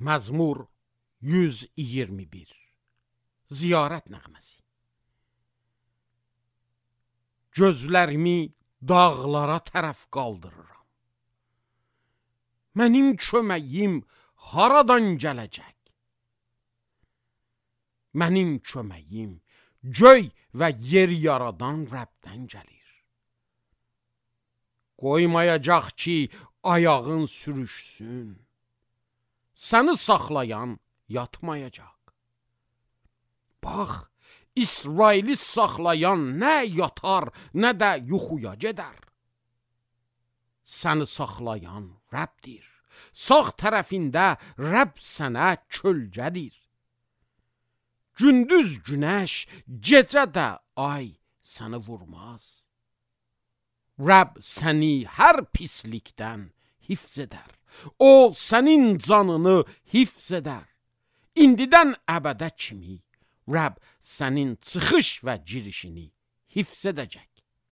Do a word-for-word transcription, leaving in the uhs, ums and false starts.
Məzmur yüz iyirmi bir. Ziyarət nəğməsi. Gözlərimi dağlara tərəf qaldırıram. Mənim köməyim haradan gələcək? Mənim köməyim göy və yer yaradan Rəbdən gəlir. Qoymayacaq ki, ayağın sürüşsün. Səni saxlayan yatmayacaq. Bax, İsraili saxlayan nə yatar, nə də yuxuya gedər. Səni saxlayan Rəbdir. Sağ tərəfində Rəbb sənə kölgədir. Gündüz günəş, gecə də ay səni vurmaz. Rəbb səni hər pislikdən hifz edər. O, sənin canını hifz edər. İndidən əbədə kimi Rəbb sənin çıxış və girişini hifz edəcək.